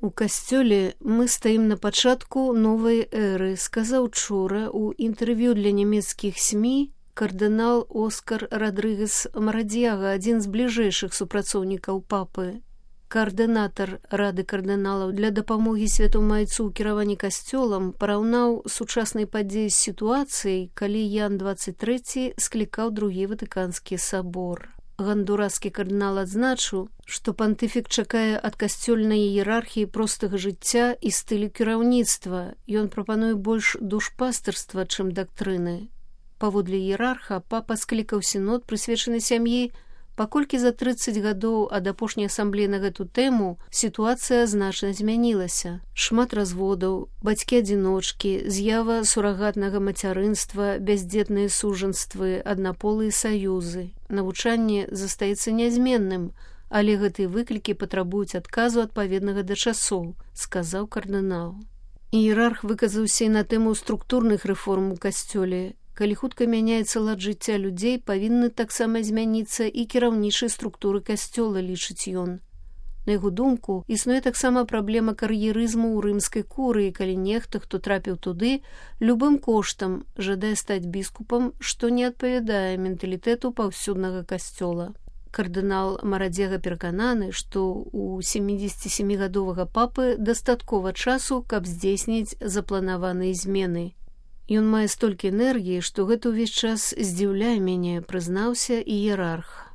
У касцёле мы стаім на пачатку новай эры, сказаў учора ў інтэрв'ю для нямецкіх СМІ кардынал Оскар Радрыгес Марадзьяга, адзін з бліжэйшых супрацоўнікаў папы. Каардынатар Рады кардыналаў для дапамогі святому айцу ў кіраванні касцёлам параўнаў сучаснай падзеі з сітуацыяй, калі Ян 23 склікаў другі Ватыканскі сабор. Гондураскі кардынал адзначыў, што пантыфік чакае ад касцёльнай іерархіі простага жыцця і стылю кіраўніцтва. Ён прапануе больш душпастырства, чым дактрыны. Паводле іерарха папа склікаў сінод, прысвечаны сям'і, паколькі за 30 гадоў ад апошняй асамблеі на гэту тэму сітуацыя значна змянілася. Шмат разводаў, бацькі-адзіночкі, з'ява сурагатнага мацярынства, бяздзетныя сужанствы, аднаполыя саюзы. Навучанне застаецца нязменным, але гэтыя выклікі патрабуюць адказу адпаведнага да часоў, сказаў кардынал. Іерарх выказаўся і на тэму структурных рэформ у касцёле. Калі хутка мяняецца лад жыцця людзей, павінны таксама змяніцца і кіраўнічыя структуры касцёла, лічыць ён. На яго думку, існуе таксама праблема кар'ерызму ў рымскай курыі, калі нехта, хто трапіў туды, любым коштам жадае стаць біскупам, што не адпавядае менталітэту паўсюднага касцёла. Кардынал Марадзьяга перакананы, што у 77-гадовага папы дастаткова часу, каб здзейсніць запланаваныя змены. Ён мае столькі энергіі, што гэта ўвесь час здзіўляе мяне, прызнаўся іерарх.